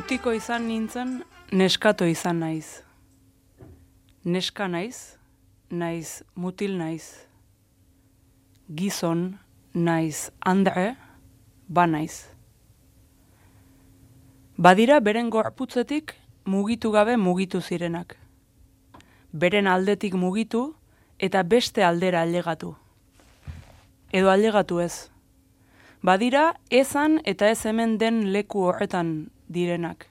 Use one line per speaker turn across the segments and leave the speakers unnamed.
Mutiko izan nintzen, neskato izan naiz. Neska naiz, naiz mutil naiz. Gizon, naiz andre, ba naiz. Badira beren gorputzetik mugitu gabe mugitu zirenak. Beren aldetik mugitu eta beste aldera ailegatu. Edo ailegatu ez. Badira ezan eta ez hemen den leku horretan direnak.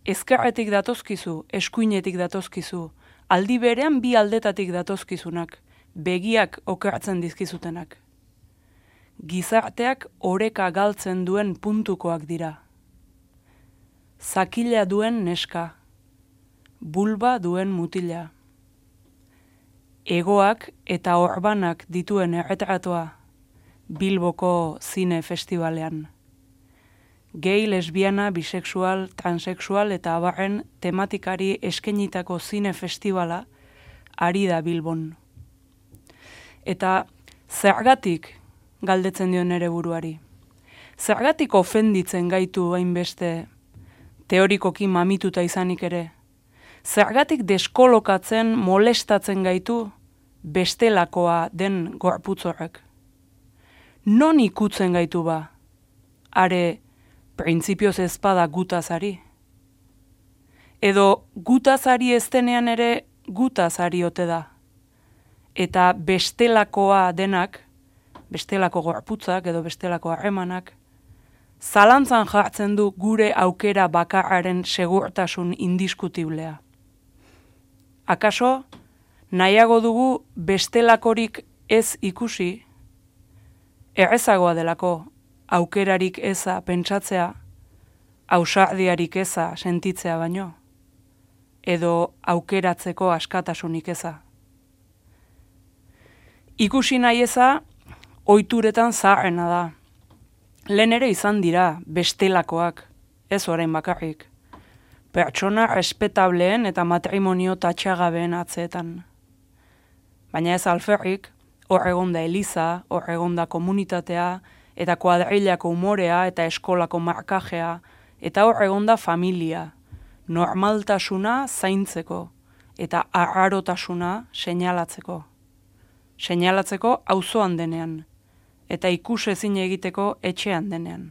Ezkerretik datozkizu, eskuinetik datozkizu, aldi berean bi aldetatik datozkizunak, begiak okertzen dizkizutenak. Gizarteak oreka galtzen duen puntukoak dira. Zakila duen neska, bulba duen mutila. Egoak eta orbanak dituen erretratoa, Bilboko zine festivalean. Gay, lesbiana, bisexual, transexual eta abarren tematikari eskenitako zine festivala ari da Bilbon. Eta zergatik galdetzen dio nere buruari. Zergatik ofenditzen gaitu hainbeste teorikoki mamituta izanik ere. Zergatik deskolokatzen, molestatzen gaitu bestelakoa den gorputzorrek. Non ikutzen gaitu ba? Are, printzipioz ezpada gutazari. Edo gutazari eztenean ere gutazari ote da. Eta bestelakoa denak, bestelako gorputzak edo bestelako harremanak, zalantzan jartzen du gure aukera bakarraren segurtasun indiskutiblea. Akaso, nahiago dugu bestelakorik ez ikusi, errezagoa delako aukerarik eza pentsatzea, ausardiarik eza sentitzea baino, edo aukeratzeko askatasunik eza. Ikusi nahi eza, ohituretan zaharrena da. Lehen ere izan dira bestelakoak, ez orain bakarrik. Pertsona respetableen eta matrimonio tatxagabeen atzeetan. Baina ez alferrik, hor egonda eliza, hor egonda komunitatea, eta kuadrilako umorea eta eskolako markajea, eta hor egonda familia, normaltasuna zaintzeko, eta arrarotasuna seinalatzeko. Seinalatzeko auzoan denean, eta ikusezin egiteko etxean denean.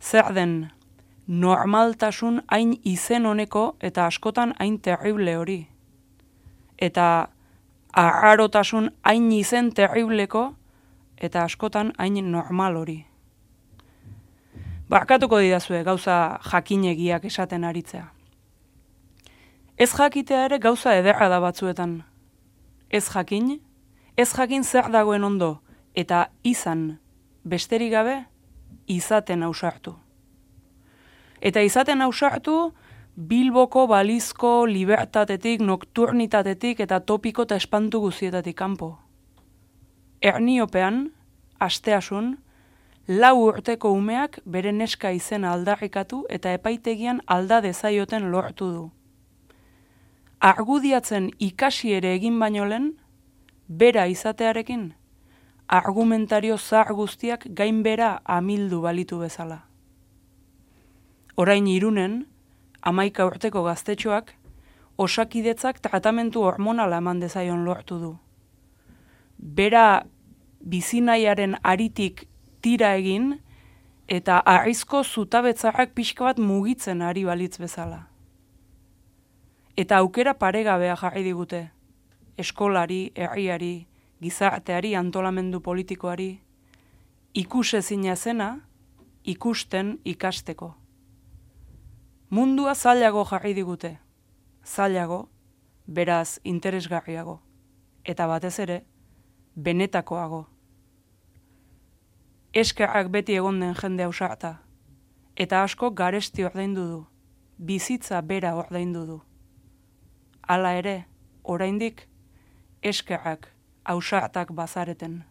Zer den, normaltasun hain izen honeko eta askotan hain terrible hori. Eta arrarotasun hain izen terribleko eta askotan hain normal hori. Barkatuko didazue gauza jakinegiak esaten aritzea. Ez jakitea ere gauza ederra da batzuetan. Ez jakin zer dagoen ondo, eta izan, besterik gabe, izaten ausartu. Eta izaten ausartu, Bilboko balizko libertatetik, nokturnitatetik eta topiko eta espantu guzietatik kanpo. Erniopean, asteasun, 4 urteko umeak bere neska izena aldarrikatu eta epaitegian alda dezaioten lortu du. Argudiatzen ikasi ere egin baino lehen, bera izatearekin, argumentario zahar guztiak gainbera amildu balitu bezala. Orain Irunen, 11 urteko gaztetxoak, osakidetzak tratamentu hormonala eman dezaion lortu du. Bera bizinaiaren aritik tira egin eta arrizko zutabetzarrak pixka bat mugitzen ari balitz bezala. Eta aukera paregabea jarri digute, eskolari, herriari, gizarteari, antolamendu politikoari, ikusezina zena, ikusten ikasteko. Mundua zailago jarri digute, zailago, beraz interesgarriago, eta batez ere, benetakoago. Eskerrak beti egon den jende ausarta, eta asko garesti ordaindu du, bizitza bera ordaindu du. Hala ere, oraindik, eskerrak ausartak bazareten.